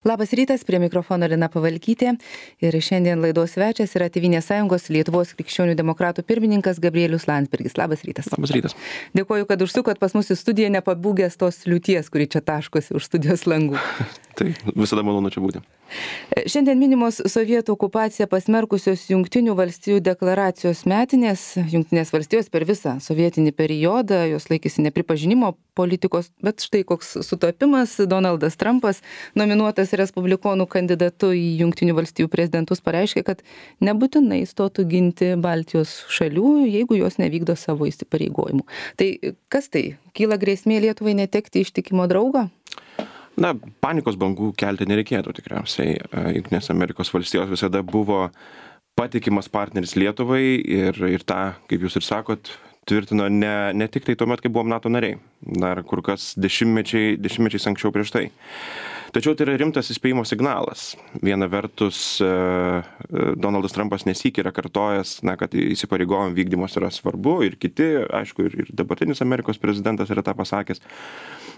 Labas rytas, prie mikrofono Lina Pavalkytė ir šiandien laidos svečias yra Tėvynės sąjungos Lietuvos krikščionių demokratų pirmininkas Gabrielius Landsbergis. Labas rytas. Labas rytas. Dėkuoju, kad užsukot pas mus į studiją, nepabūgęs tos liūties, kuri čia taškosi už studijos langų. Tai visada malonu čia būti. Šiandien minimos sovietų okupaciją pasmerkusios Jungtinių valstijų deklaracijos metinės. Jungtinės valstijos per visą sovietinį periodą, jos laikėsi nepripažinimo politikos, bet štai koks sutapimas. Donaldas Trumpas, nominuotas respublikonų kandidatu į Jungtinių valstijų prezidentus, pareiškė, kad nebūtinai stotų ginti Baltijos šalių, jeigu jos nevykdo savo įsipareigojimų. Tai kas tai? Kyla grėsmė Lietuvai netekti ištikimo draugo? Na, panikos bangų kelti nereikėtų tikriausiai. Jungtinės Amerikos valstijos visada buvo patikimas partneris Lietuvai ir tą, kaip jūs ir sakot, tvirtino ne tik tai tuomet, kai buvom NATO nariai, dar kur kas dešimtmečiais anksčiau prieš tai. Tačiau tai yra rimtas įspėjimo signalas. Viena vertus, Donaldas Trumpas nesykį yra kartojęs, kad įsipareigojimų vykdymas yra svarbu ir kiti, aišku, ir dabartinis Amerikos prezidentas yra tą pasakęs.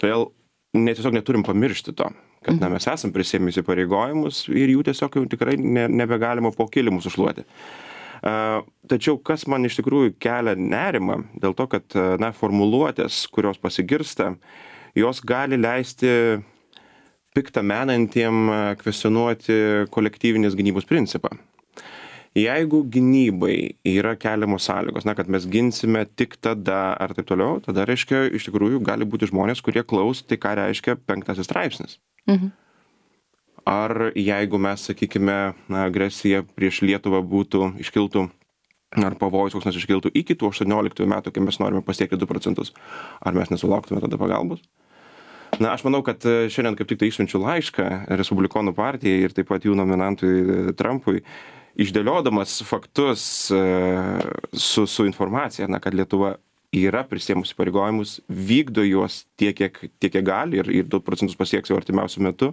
Todėl tiesiog neturim pamiršti to, kad mes esam prisėmę įsipareigojimus ir jų tiesiog jau tikrai nebegalima po kilimus užšluoti. Tačiau kas man iš tikrųjų kelia nerimą, dėl to, kad formuluotės, kurios pasigirsta, jos gali leisti piktą menantiem kvestionuoti kolektyvinės gynybos principą. Jeigu gynybai yra keliamos sąlygos, kad mes ginsime tik tada ar taip toliau, tada reiškia, iš tikrųjų gali būti žmonės, kurie klaus, tai ką reiškia 5 straipsnis. Ar jeigu mes, sakykime, agresija prieš Lietuvą iškiltų, ar pavojus koks nors iškiltų iki tų 18 metų, kai mes norime pasiekti 2%, ar mes nesulauktume tada pagalbos? Aš manau, kad šiandien kaip tik tai išsiunčiu laišką Respublikonų partijai ir taip pat jų nominantui Trumpui, išdėliodamas faktus su informacija, kad Lietuva yra prisėmusi įsipareigojimus, vykdo juos tiek, kiek gali ir 2% pasieks jau artimiausiu metu.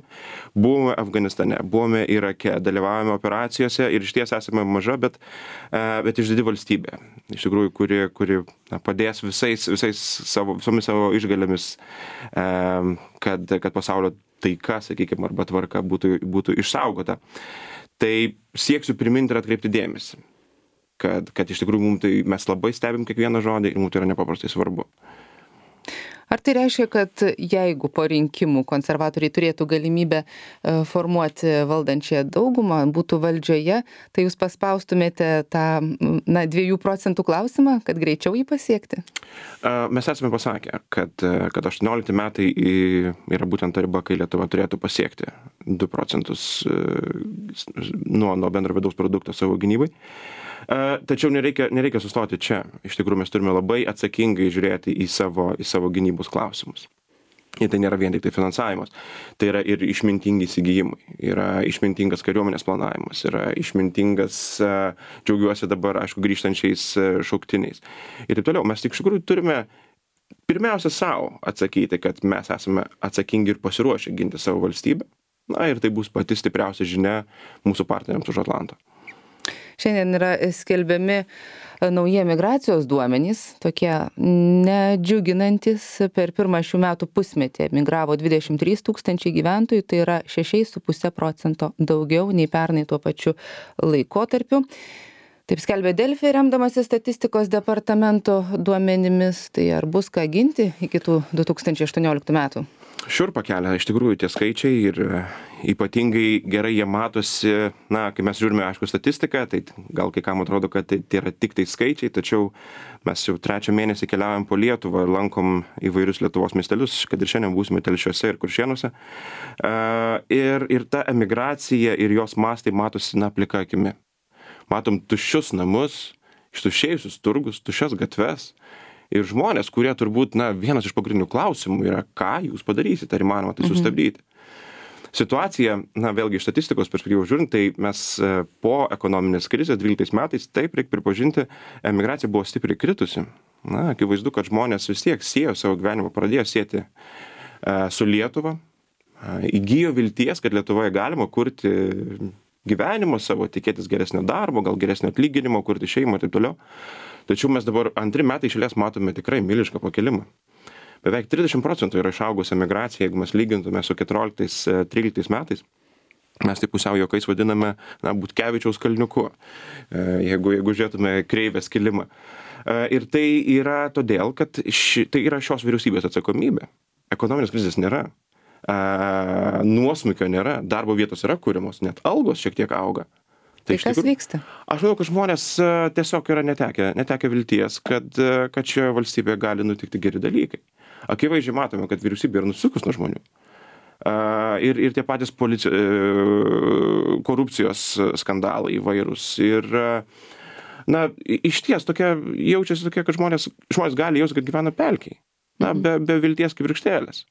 Buvome Afganistane, buvome Irake, dalyvavome operacijose ir išties esame maža, bet išdidi valstybė. Iš tikrųjų, kuri padės visomis savo išgalėmis, kad pasaulio taika, sakykime, arba tvarka būtų išsaugota. Tai sieksiu priminti ir atkreipti dėmesį, kad iš tikrųjų mes labai stebim kiekvieną žodį ir mums tai yra nepaprastai svarbu. Ar tai reiškia, kad jeigu po rinkimų konservatoriai turėtų galimybę formuoti valdančiąją daugumą, būtų valdžioje, tai jūs paspaustumėte tą 2% klausimą, kad greičiau jį pasiekti? Mes esame pasakę, kad 18 metai yra būtent ta riba, kai Lietuva turėtų pasiekti 2% nuo bendro vidaus produkto savo gynybai. Tačiau nereikia sustoti čia. Iš tikrųjų, mes turime labai atsakingai žiūrėti į savo gynybos klausimus. Ir tai nėra vien tik tai finansavimas. Tai yra ir išmintingi įsigijimai, yra išmintingas kariuomenės planavimas, yra išmintingas, džiaugiuosi dabar, aišku, grįžtančiais šauktiniais. Ir taip toliau. Mes tik iš tikrųjų turime pirmiausia savo atsakyti, kad mes esame atsakingi ir pasiruošę ginti savo valstybę. Ir tai bus pati stipriausia žinia mūsų partneriams už Atlanto. Šiandien yra skelbiami nauji migracijos duomenys, tokie nedžiuginantis. Per pirmą šių metų pusmetį emigravo 23 000 gyventojų, tai yra 6,5% daugiau nei pernai tuo pačiu laikotarpiu. Taip skelbė Delfi, remdamasi statistikos departamento duomenimis. Tai ar bus ką ginti iki tų 2018 metų? Šiurpą kelia iš tikrųjų tie skaičiai ir ypatingai gerai jie matosi, kai mes žiūrime, aišku, statistiką, tai gal kai kam atrodo, kad tai yra tik tai skaičiai, tačiau mes jau 3 mėnesį keliaujam po Lietuvą ir lankom įvairius Lietuvos miestelius, kad ir šiandien būsime Telšiuose ir Kuršėnuose. Ir ta emigracija ir jos mastai matosi plika akimi. Matom tuščius namus, ištuštėjusius turgus, tuščias gatves. Ir žmonės, kurie turbūt, vienas iš pagrindinių klausimų yra, ką jūs padarysite, ar įmanoma tai sustabdyti. Situacija, vėlgi iš statistikos perspektyvos žiūrint, tai mes po ekonominės krizės 12 metais, taip reikia pripažinti, emigracija buvo stipriai kritusi. Akivaizdu, kad žmonės vis tiek siejo savo gyvenimą, pradėjo sieti su Lietuva, įgijo vilties, kad Lietuvoje galima kurti gyvenimą savo, tikėtis geresnio darbo, gal geresnio atlyginimo, kurti šeimą ir taip toliau. Tačiau mes dabar 2 metai iš eilės matome tikrai milišką pakilimą. beveik 30% yra išaugusi emigracija, jeigu mes lygintume su 14-13 metais. Mes tai pusiau juokais vadiname, Butkevičiaus kalniuku, jeigu žiūrėtume kreivės kilimą. Ir tai yra todėl, kad tai yra šios vyriausybės atsakomybė. Ekonominės krizės nėra, nuosmukio nėra, darbo vietos yra kūriamos, net algos šiek tiek auga. Tai kas vyksta? Aš manau, kad žmonės tiesiog yra netekę vilties, kad šioje valstybėje gali nutikti geri dalykai. Akivaizdžiai matome, kad vyriausybė yra nusukus nuo žmonių. Ir tie patys korupcijos skandalai įvairūs. Ir, išties jaučiasi tokia, kad žmonės gali jausti, kad gyvena pelkiai. Be vilties kibirkštėlės.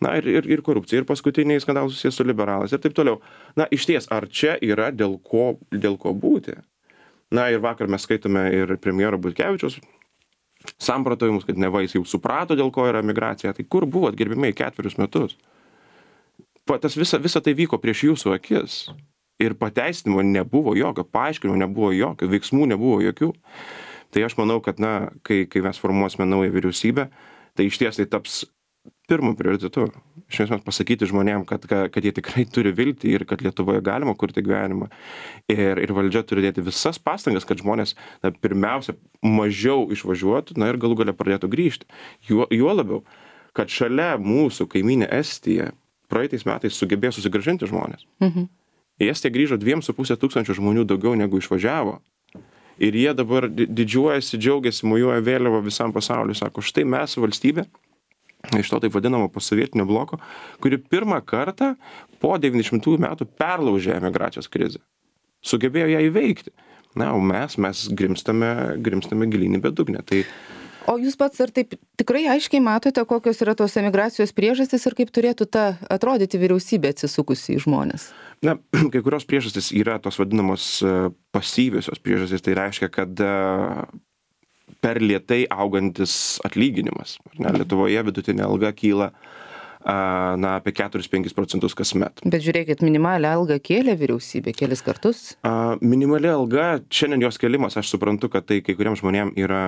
Ir korupcija, ir paskutiniai skandalai susijęs su liberalais ir taip toliau. Išties, ar čia yra dėl ko būti? Ir vakar mes skaitome ir premjero Butkevičiaus samprotavimus, kad neva jis jau suprato, dėl ko yra migracija. Tai kur buvot, gerbimiai, 4 metus? Visa tai vyko prieš jūsų akis. Ir pateisinimo nebuvo jokio, paaiškinimo nebuvo jokio, veiksmų nebuvo jokių. Tai aš manau, kad kai mes formuosime naują vyriausybę, tai išties tai taps pirmu prioritetu. Iš esmės pasakyti žmonėm, kad jie tikrai turi viltį ir kad Lietuvoje galima kurti gyvenimą. Ir valdžia turi dėti visas pastangas, kad žmonės pirmiausia mažiau išvažiuotų ir galų gale pradėtų grįžti. Juo labiau, kad šalia mūsų kaimynė Estija praeitais metais sugebėjo susigrąžinti žmonės. Į Estiją grįžo 2,5 tūkstančių žmonių daugiau negu išvažiavo. Ir jie dabar didžiuojasi, džiaugiasi, mojuoja vėliavą visam pasauliu. Sako, štai mes valstybė, iš to taip vadinamo posovietinio bloko, kuri pirmą kartą po 90 metų perlaužė emigracijos krizę. Sugebėjo ją įveikti. O mes grimstame gilyn į bedugnę. O jūs pats ar taip tikrai aiškiai matote, kokios yra tos emigracijos priežastys ir kaip turėtų atrodyti vyriausybė atsisukusi į žmones? Kai kurios priežastys yra tos vadinamos pasyviosios priežastys. Tai reiškia, kad per lėtai augantis atlyginimas. Lietuvoje vidutinė alga kyla apie 4-5% kasmet. Bet žiūrėkit, minimalią algą kėlė vyriausybė kelis kartus? Minimali alga, šiandien jos kėlimas, aš suprantu, kad tai kai kuriems žmonėms yra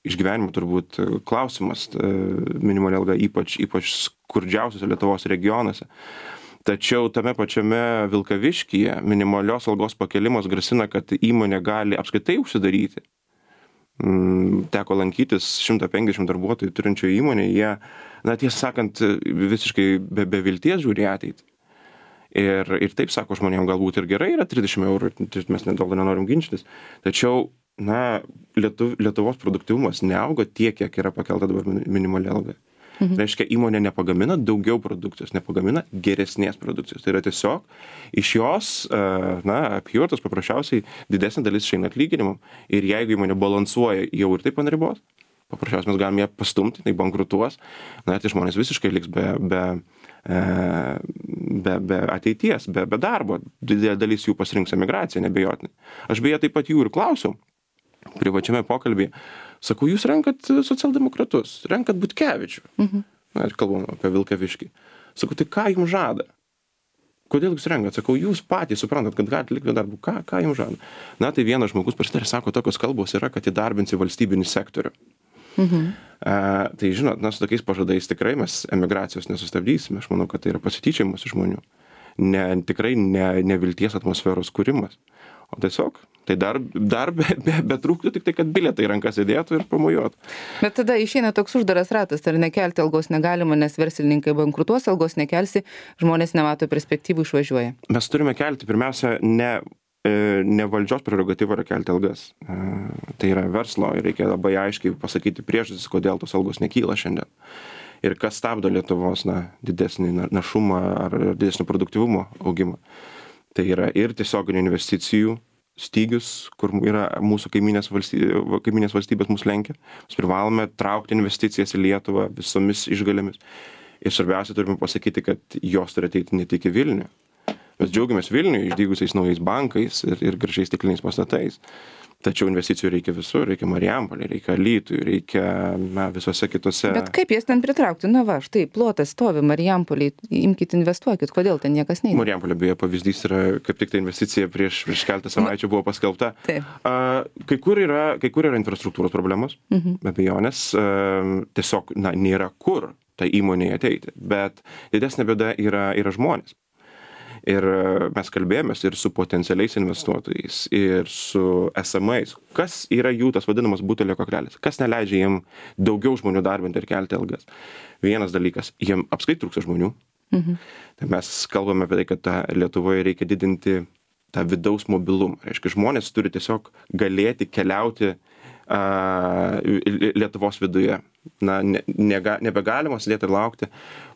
išgyvenimo turbūt klausimas, minimali alga ypač skurdžiausiuose Lietuvos regionuose. Tačiau tame pačiame Vilkaviškyje minimalios algos pakėlimas grasina, kad įmonė gali apskritai užsidaryti. Teko lankytis 150 darbuotojų turinčio įmonė, jie, tiesą sakant, visiškai be vilties žiūri ateitį. Ir taip sako žmonėms, galbūt ir gerai yra 30 eurų, mes dėl to nenorim ginčytis. Tačiau Lietuvos produktyvumas neauga tiek, kiek yra pakelta dabar minimali alga. Reiškia, įmonė nepagamina daugiau produkcijos, nepagamina geresnės produkcijos. Tai yra tiesiog iš jos, apyvartos paprasčiausiai didesnė dalis išeina atlyginimam. Ir jeigu įmonė balansuoja jau ir taip ant ribos, paprasčiausiai mes galime ją pastumti, tai bankrutuos, tai žmonės visiškai liks be ateities, be darbo. Didelė dalis jų pasirinks emigraciją, nebejotinai. Aš beje taip pat jų ir klausiau privačiame pokalbyje. Sakau, jūs renkat socialdemokratus, renkat Butkevičių. Ir kalbam apie Vilkaviškį. Sakau, tai ką jums žada? Kodėl jūs renkat? Sakau, jūs patys suprantat, kad galite likti darbų. Ką jums žada? Tai vienas žmogus pasitarė, sako, tokios kalbos yra, kad įdarbinsi valstybinį sektorių. Tai žinot, su tokiais pažadais tikrai mes emigracijos nesustabdysime. Aš manau, kad tai yra pasityčiajimas iš žmonių. Tikrai ne vilties atmosferos kūrimas. O tiesiog, tai dar betrūktų tik tai, kad bilietai rankas įdėtų ir pamojuotų. Bet tada išeina toks uždaras ratas, ar nekelti algos negalima, nes verslininkai bankrutuos, algos nekelsi, žmonės nemato perspektyvų, išvažiuoja. Mes turime kelti, pirmiausia, ne valdžios prerogatyva yra kelti algas. Tai yra verslo ir reikia labai aiškiai pasakyti priežastis, kodėl tos algos nekyla šiandien. Ir kas stabdo Lietuvos didesnį našumą ar didesnį produktyvumo augimą. Tai yra ir tiesioginių investicijų stygius, kur yra mūsų kaiminės valstybės mus lenkia. Mes privalome traukti investicijas į Lietuvą visomis išgalėmis. Ir svarbiausia, turime pasakyti, kad jos turi ateiti ne tik į Vilnių. Mes džiaugiamės Vilniuje išdygusiais naujais bankais ir gražiais stikliniais pastatais. Tačiau investicijų reikia visur, reikia Marijampolėje, reikia Alytui, reikia visose kitose. Bet kaip jas ten pritraukti? Na va, štai plotas stovi Marijampolėje, imkite investuokit, kodėl ten niekas neina? Marijampolė beje pavyzdys yra, kaip tik ta investicija prieš keletą savaičių buvo paskelbta. Taip. Kai kur yra infrastruktūros problemos, be abejonės, tiesiog nėra kur tai įmonėje ateiti, bet didesnė bėda yra žmonės. Ir mes kalbėjomės ir su potencialiais investuotojais, ir su esamais. Kas yra jų tas vadinamas butelio kaklelis? Kas neleidžia jiem daugiau žmonių darbinti ir kelti algas? Vienas dalykas, jiem apskritai trūksta žmonių. Tai mes kalbame apie tai, kad Lietuvoje reikia didinti tą vidaus mobilumą. Reiškia, žmonės turi tiesiog galėti keliauti Lietuvos viduje. Nebegalima sėdėti ir laukti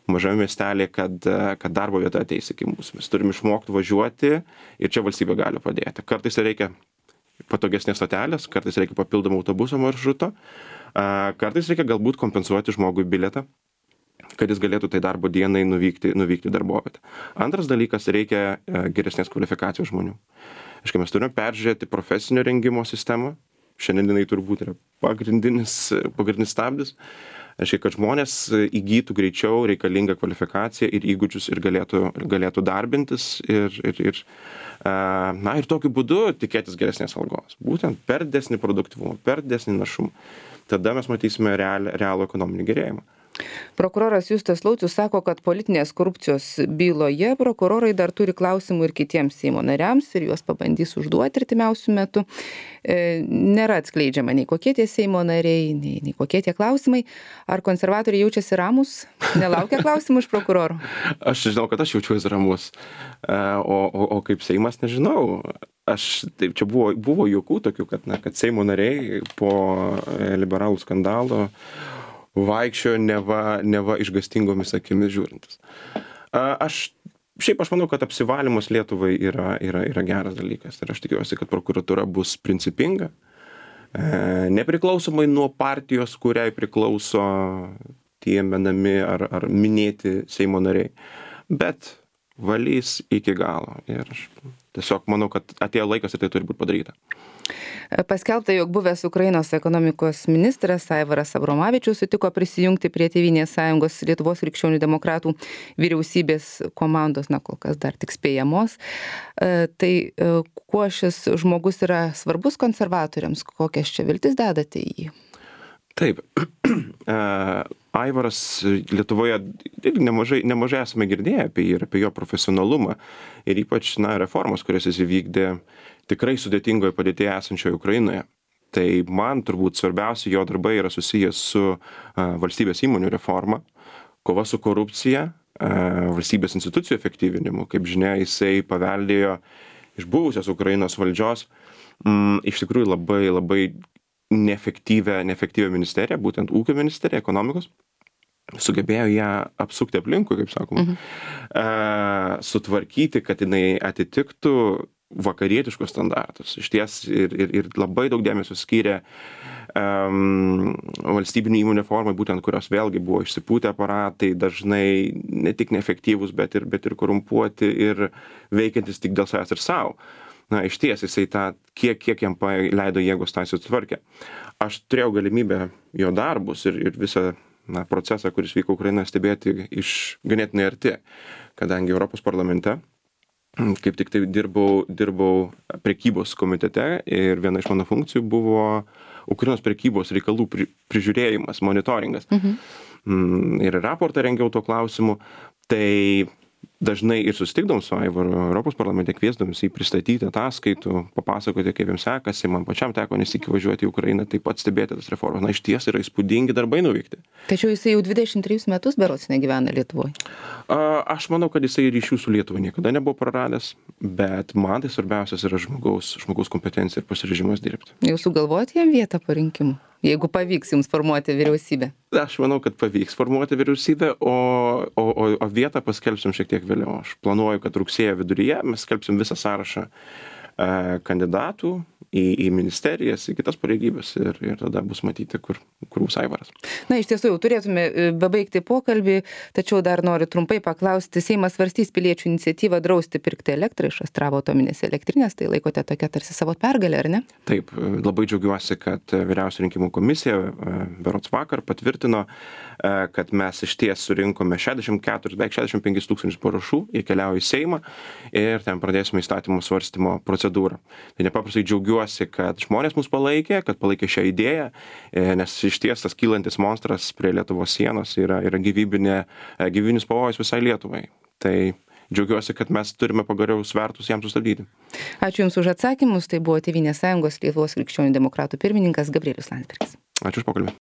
mažame miestelėje, kad darbo vieta ateis iki mūsų. Mes turime išmokti važiuoti ir čia valstybė gali padėti. Kartais reikia patogesnės stotelės, kartais reikia papildomą autobuso maršruto, kartais reikia galbūt kompensuoti žmogui bilietą, kad jis galėtų tai darbo dienai nuvykti darbovietę. Antras dalykas, reikia geresnės kvalifikacijos žmonių. Aišku, mes turime peržiūrėti profesinio rengimo sistemą. Šiandien jinai turbūt yra pagrindinis stabdis. Aišku, kad žmonės įgytų greičiau reikalingą kvalifikaciją ir įgūdžius ir galėtų darbintis ir tokiu būdu tikėtis geresnės algos. Būtent per didesnį produktyvumą, per didesnį našumą. Tada mes matysime realų ekonominį gerėjimą. Prokuroras Justas Laucius sako, kad politinės korupcijos byloje prokurorai dar turi klausimų ir kitiems Seimo nariams ir juos pabandys užduoti artimiausių metų. Nėra atskleidžiama nei kokie tie Seimo nariai, nei kokie tie klausimai. Ar konservatoriai jaučiasi ramus? Nelaukia klausimų iš prokurorų? Aš žinau, kad aš jaučiuosi ramus. O kaip Seimas, nežinau. Taip, čia buvo juokų tokių, kad Seimo nariai po liberalų skandalo vaikščiojo neva išgastingomis akimis žiūrintis. Aš manau, kad apsivalymas Lietuvai yra geras dalykas. Ir aš tikiuosi, kad prokuratūra bus principinga, nepriklausomai nuo partijos, kuriai priklauso tie menami ar minėti Seimo nariai, bet valys iki galo. Ir aš tiesiog manau, kad atėjo laikas ir tai turi būti padaryta. Paskelbta, jog buvęs Ukrainos ekonomikos ministras Aivaras Abromavičius sutiko prisijungti prie Tėvynės sąjungos Lietuvos krikščionių demokratų vyriausybės komandos, kol kas dar tik spėjamos. Tai kuo šis žmogus yra svarbus konservatoriams, kokias čia viltis dedate į jį? Taip. Aivaras Lietuvoje nemažai esame girdėję apie jį ir apie jo profesionalumą ir ypač reformas, kurias jis įvykdė tikrai sudėtingoje padėtyje esančioje Ukrainoje. Tai man turbūt svarbiausia jo darbai yra susijęs su valstybės įmonių reforma, kova su korupcija, valstybės institucijų efektyvinimu. Kaip žinia, jisai paveldėjo iš buvusios Ukrainos valdžios iš tikrųjų labai neefektyvią ministeriją, būtent ūkio ministeriją, ekonomikos. Sugebėjo ją apsukti aplinkui, kaip sakoma, sutvarkyti, kad jinai atitiktų vakarietiškus standartus. Išties ir labai daug dėmesio skyrė valstybinių įmonių reformai, būtent kurios vėlgi buvo išsipūtę aparatai, dažnai ne tik neefektyvūs, bet ir korumpuoti ir veikiantis tik dėl savęs ir savo. Išties jisai kiek jam leido jėgos tą sutvarkė. Aš turėjau galimybę jo darbus ir visą procesą, kuris vyko Ukrainoje, stebėti iš ganėtinai arti, kadangi Europos parlamente kaip tik tai dirbau prekybos komitete ir viena iš mano funkcijų buvo Ukrainos prekybos reikalų prižiūrėjimas, monitoringas. Ir raportą rengiau tuo klausimu. Tai dažnai ir susitikdavom su Aivaru Europos parlamente, kviesdavom jį pristatyti ataskaitų, papasakoti, kaip jiems sekasi. Man pačiam teko nesyk važiuoti į Ukrainą, taip pat stebėti tas reformas. Išties yra įspūdingi darbai nuveikti. Tačiau jisai jau 23 metus berods negyvena Lietuvoje. Aš manau, kad jisai ryšių su Lietuva niekada nebuvo praradęs, bet man tai svarbiausias yra žmogaus kompetencija ir pasiryžimas dirbti. Jau sugalvoti jam vietą po rinkimų, jeigu pavyks jums formuoti vyriausybę? Aš manau, kad pavyks formuoti vyriausybę, o vietą paskelbsim šiek tiek vėliau. Aš planuoju, kad rugsėjo viduryje mes skelbsim visą sąrašą kandidatų į ministerijas, į kitas pareigybės ir tada bus matyti, kur bus Aivaras. Na, iš tiesų, jau turėtume baigti pokalbį, tačiau dar noriu trumpai paklausti. Seimas svarstys piliečių iniciatyvą drausti pirkti elektrą iš Astravo atominės elektrinės. Tai laikote tokia tarsi savo pergalę, ar ne? Taip, labai džiaugiuosi, kad Vyriausioji rinkimų komisija berods vakar patvirtino, kad mes išties surinkome 65 tūkstančius parašų, jie keliauja į Seimą ir ten pradėsime įstatymų svarstymo procedūrą. Tai nepaprastai džiaugiuosi, kad žmonės mus palaikė, kad palaikė šią idėją, nes išties tas kylantis monstras prie Lietuvos sienos yra gyvybinis pavojus visai Lietuvai. Tai džiaugiuosi, kad mes turime pagaliau svertus jam sustabdyti. Ačiū Jums už atsakymus. Tai buvo Tėvynės sąjungos Lietuvos krikščionių demokratų pirmininkas Gabrielius Landsbergis. Ačiū už pokalbį.